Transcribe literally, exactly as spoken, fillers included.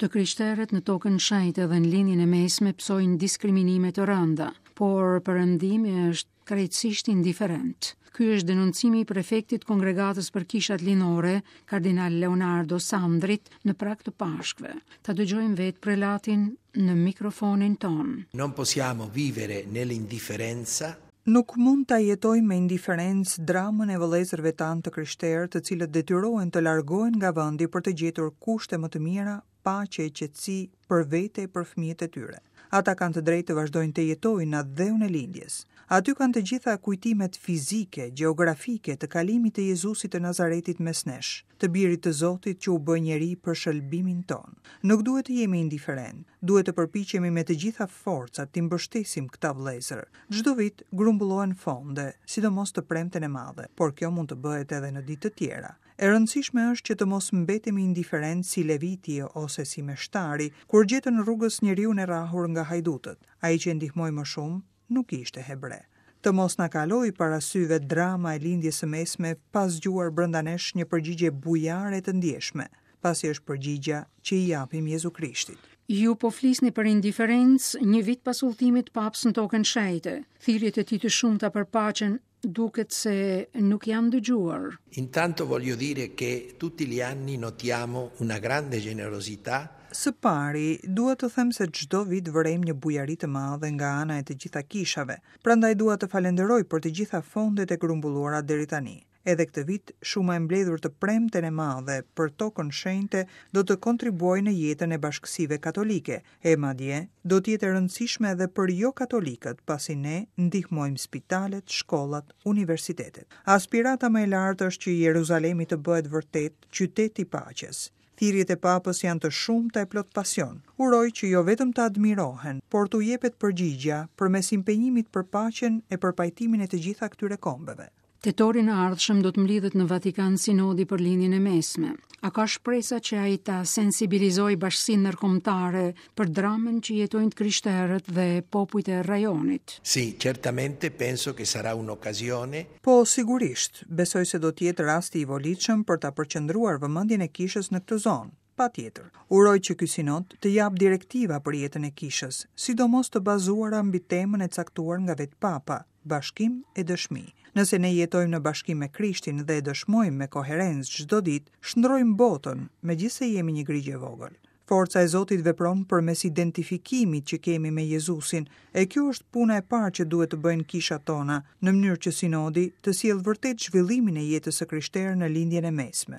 Të krishterët në Tokën Shenjte dhe në Lindjen e Mesme pësojnë diskriminime të rënda, por Perëndimi është krejtësisht indiferent. Ky është denoncimi i prefektit Kongregatës për Kishat Lindore, Kardinal Leonardo Sandrit, në prag të Pashkëve. Ta dëgjojmë vetë prelatin në mikrofonin tonë. Non possiamo vivere nell'indifferenza. Nuk mund ta jetojmë me indiferencë dramën e vëllezërve tanë të krishterë, të cilët detyrohen të largohen nga vendi për të gjetur kushte më të mira, paqe e qetësi për vete e për fëmijët e tyre. Ata kanë të drejtë të vazhdojnë të jetojnë në atdheun e lindjes. Aty kanë të gjitha kujtimet fizike, gjeografike të kalimit të Jezusit të Nazaretit mes nesh, të birit të Zotit që u bë njeri për shëlbimin tonë. Nuk duhet të jemi indiferent, duhet të përpiqemi me të gjitha forcat t'i mbështesim këta vëllezër. Çdo vit grumbullohen fonde, sidomos të Premten e Madhe, por kjo mund të bëhet edhe në ditë të tjera. E rëndësishme është që të mos mbetemi indiferent si Leviti ose si meshtari, kur gjetën rrugës njeriun e rrahur nga hajdutët. Ai që e ndihmoi më shumë nuk ishte hebre. Të mos na kalojë para syve drama e Lindjes së Mesme pa zgjuar brenda nesh një përgjigje bujare të ndjeshme, pasi është përgjigja që i japim Jezu Krishtit. Ju po flisni për indiferencë një vit pas udhëtimit Papës në Tokën Shenjte. Thirrjet e tij të shumta për paqen duket se nuk janë dëgjuar. Intanto voglio dire che tutti gli anni notiamo una grande generosità. Së pari, dua të them se çdo vit vërejmë një bujari të madhe nga ana e të gjitha kishave. Prandaj dua të falenderoj për të gjitha fondet e grumbulluara deri tani. Edhe këtë vit, shuma e mbledhur të Premten e Madhe për Tokën Shenjte do të kontribuojë në jetën e bashkësive katolike, e madje do të jetë e rëndësishme edhe për jo katolikët, pasi ne ndihmojmë spitalet, shkollat, universitetet. Aspirata më e lartë është që Jeruzalemi të bëhet vërtet qytet i paqes. Thirrjet e Papës janë të shumta e plot pasion. Uroj që jo vetëm të admirohen, por t'u jepet përgjigja përmes impenjimit për paqen e për pajtimin e të gjitha këtyre kombeve. Tetorin e ardhshëm do të mblidhet në Vatikan Sinodi për Lindjen e Mesme. A ka shpresa që ai ta sensibilizojë bashkësinë ndërkombëtare për dramën që jetojnë të krishterët dhe popujt e rajonit? Sì, certamente penso che sarà un'occasione. Po, sigurisht, besoj se do të jetë rasti i volitshëm për ta përqendruar vëmendjen e kishës në këtë zonë. Patjetër. Uroj që ky sinod të japë direktiva për jetën e kishës, sidomos të bazuara mbi temën e caktuar nga vetë Papa, bashkim e dëshmi. Nëse ne jetojmë në bashkim me Krishtin dhe e dëshmojmë me koherencë çdo ditë, shndrojmë botën, megjithëse jemi një grigjë e vogël. Forca e Zotit vepron përmes identifikimit që kemi me Jezusin, e kjo është puna e parë që duhet të bëjnë kishat tona, në mënyrë që sinodi të sjellë vërtet zhvillimin e jetës së krishterë në Lindjen e Mesme.